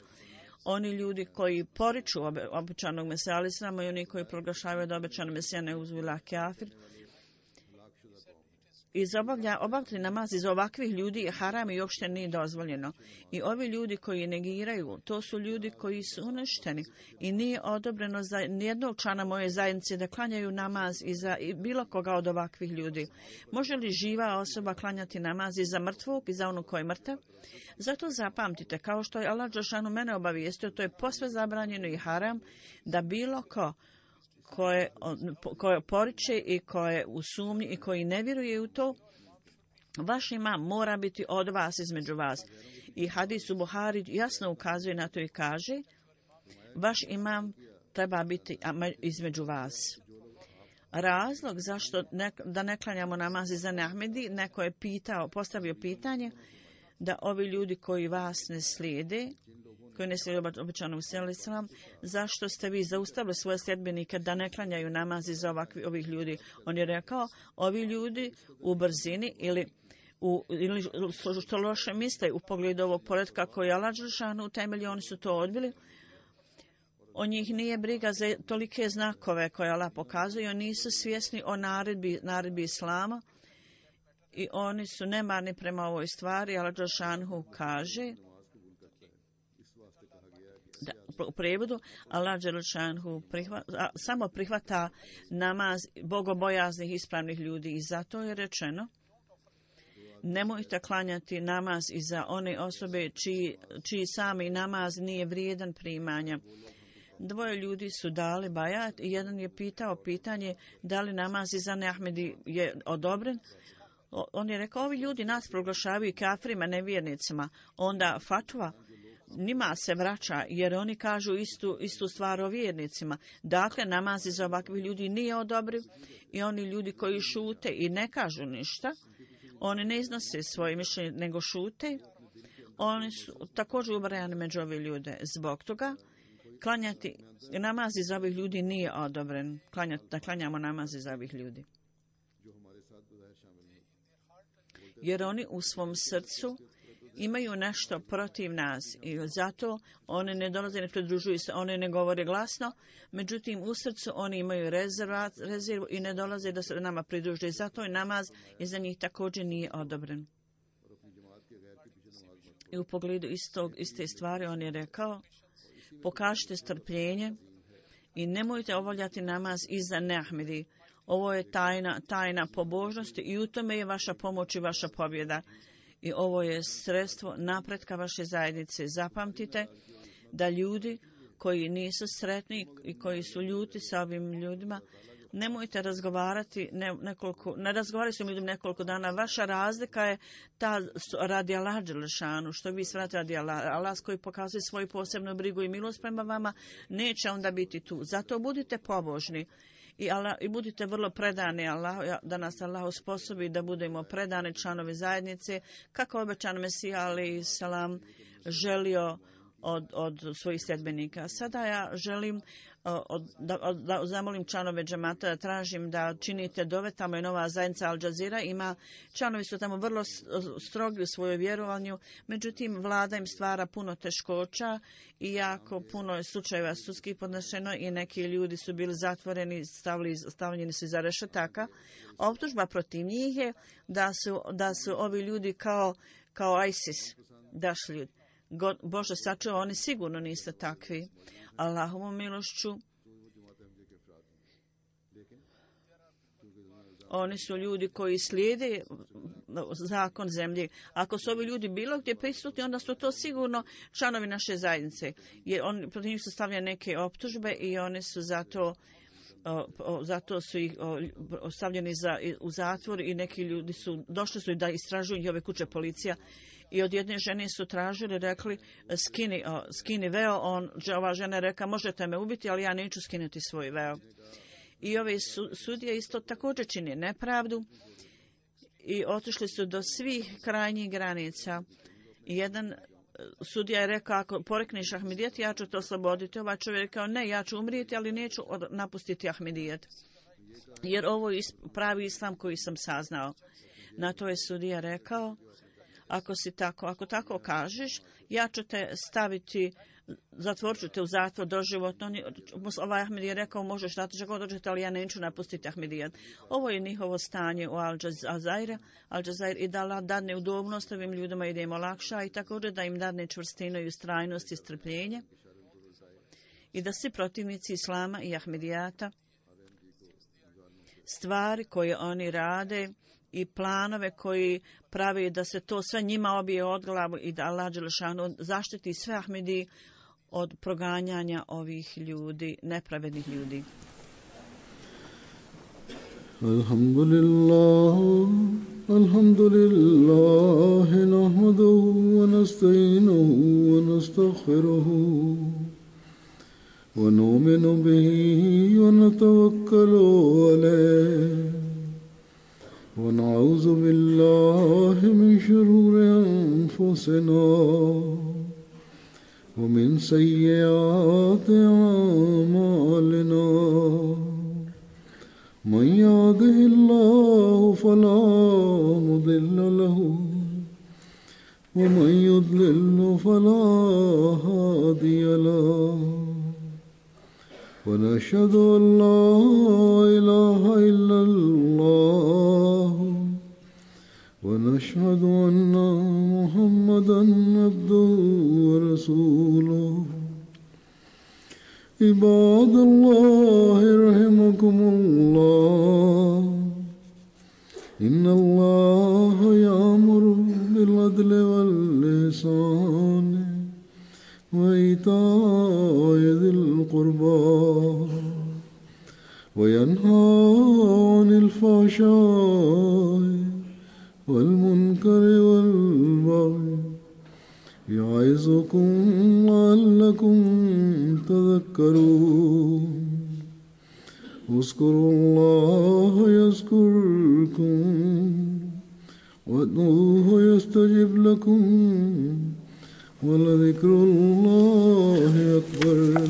Oni ljudi koji poriču obećanog Mesija al-Islama i oni koji proglašavaju da obećanog Mesija ne uzvila kafir, obavljati namaz iz ovakvih ljudi je haram i uopšte nije dozvoljeno. I ovi ljudi koji negiraju, to su ljudi koji su uništeni i nije odobreno za nijednog člana moje zajednice da klanjaju namaz i za bilo koga od ovakvih ljudi. Može li živa osoba klanjati namaz i za mrtvog i za onog koji je mrtav? Zato zapamtite, kao što je Allah dželešanu mene obavijestio, to je posve zabranjeno i haram da bilo koje poriče i koje u sumnji i koji ne vjeruje u to, vaš imam mora biti od vas, između vas. I hadis u Buhari jasno ukazuje na to i kaže, vaš imam treba biti između vas. Razlog zašto da ne klanjamo namaz za Ahmedi, neko je postavio pitanje da ovi ljudi koji vas ne slijede, koji ne slijede obećanog Mesija, zašto ste vi zaustavili svoje sljedbenike da ne klanjaju namazi za ovih ljudi? On je rekao, ovi ljudi u brzini ili što loše misle u pogledu ovog poretka koji je Allah dželešanu utemeljio, oni su to odbili. O njih nije briga za tolike znakove koje Allah pokazuje, oni nisu svjesni o naredbi Islama i oni su nemarni prema ovoj stvari. Allah dželešanu kaže, u prevodu, Allah dželešanu samo prihvata namaz bogobojaznih ispravnih ljudi i zato je rečeno, nemojte klanjati namaz i za one osobe čiji sami namaz nije vrijedan primanja. Dvoje ljudi su dali bajat i jedan je pitao pitanje da li namaz iza Ahmedi je odobren. On je rekao, ovi ljudi nas proglašavaju kafirima, nevjernicima. Onda fatva njima se vraća jer oni kažu istu stvar o vjernicima. Dakle, namaz iza ovakvih ljudi nije odobriv i oni ljudi koji šute i ne kažu ništa, oni ne iznose svoje mišljenje nego šute, oni su također ubrajani među ove ljude. Zbog toga klanjati namaz iza ovih ljudi nije odobren. Da klanjamo namaz iza ovih ljudi. Jer oni u svom srcu imaju nešto protiv nas i zato oni ne dolaze, ne pridružuju se, oni ne govore glasno, međutim u srcu oni imaju rezervu i ne dolaze da se nama pridruže. Zato i namaz iza njih također nije odobren. I u pogledu iste stvari on je rekao, pokažite strpljenje i nemojte obavljati namaz iza neahmedi. Ovo je tajna pobožnosti i u tome je vaša pomoć i vaša pobjeda. I ovo je sredstvo napretka vaše zajednice. Zapamtite da ljudi koji nisu sretni i koji su ljuti sa ovim ljudima, nemojte razgovarati, ne razgovarajte s ljudima nekoliko dana. Vaša razlika je ta radi Allah dželešanu, što vi svrate radi Allah koji pokazuje svoju posebnu brigu i milost prema vama, neće onda biti tu. Zato budite pobožni i budite vrlo predani Allahu, da nas Allah usposobi da budemo predani članovi zajednice, kako obećan Mesija alejhi selam želio od svojih sljedbenika. Sada ja želim da zamolim članove džemata, da tražim da činite dove. Tamo je nova zajednica Al Jazeera, članovi su tamo vrlo strogi u svojoj vjerovanju, međutim vlada im stvara puno teškoća i jako puno je slučajeva sudskih podnešeno i neki ljudi su bili zatvoreni, stavljeni su iza rešetaka. Optužba protiv njih je da su ovi ljudi kao ISIS dašli. Bože sačuva, oni sigurno nisu takvi. Allahovom milošću oni su ljudi koji slijede zakon zemlje. Ako su ovi ljudi bilo gdje prisutni, onda su to sigurno članovi naše zajednice. Jer protiv njih su stavljene neke optužbe i oni su zato su ih stavljeni u zatvor i neki ljudi su došli da istražuju njihove kuće policija. I od jedne žene su tražili, rekli, skini veo. Ova žena rekla, možete me ubiti, ali ja neću skinuti svoj veo. I ove sudije isto također čini nepravdu i otišli su do svih krajnjih granica. Jedan sudija je rekao, ako porekneš Ahmedijet, ja ću te osloboditi. Ovaj čovjek je rekao, ne, ja ću umrijeti, ali neću napustiti Ahmedijet. Jer ovo je pravi islam koji sam saznao. Na to je sudija rekao, ako tako kažeš, ja ću te staviti, zatvorit ću te u zatvor doživotno. Ovaj Ahmed je rekao, možeš dati što god dođete, ali ja neću napustiti Ahmedijet. Ovo je njihovo stanje u Al Jazeera i da Allah dadne udobnost ovim ljudima i da im olakša i također da im dadne čvrstinu i ustrajnost i strpljenje i da svi protivnici Islama i Ahmedijata stvari koje oni rade i planove koji pravi da se to sve njima obije od glavu i da Allah dželešanu zaštiti sve Ahmedi od proganjanja ovih ljudi, nepravednih ljudi. Alhamdulillah, nahmaduhu wa nasta'inuhu wa nastaghfiruhu wa nu'minu bihi wa natawakkalu alayhi. ونعوذ بالله من شرور أنفسنا ومن سيئات أعمالنا من يهده الله فلا مضل له ومن يضلل فلا هادي له ونشهد أن لا إله إلا الله ونشهد أن محمدا عبده ورسوله عباد الله رحمكم الله إن الله يأمر بالعدل والإحسان وإيتاء ذي القربى وينهى عن الفحشاء والمنكر والبغي يعظكم لعلكم تذكرون اذكروا الله يذكركم وادعوه يستجب لكم ولذكر الله أكبر.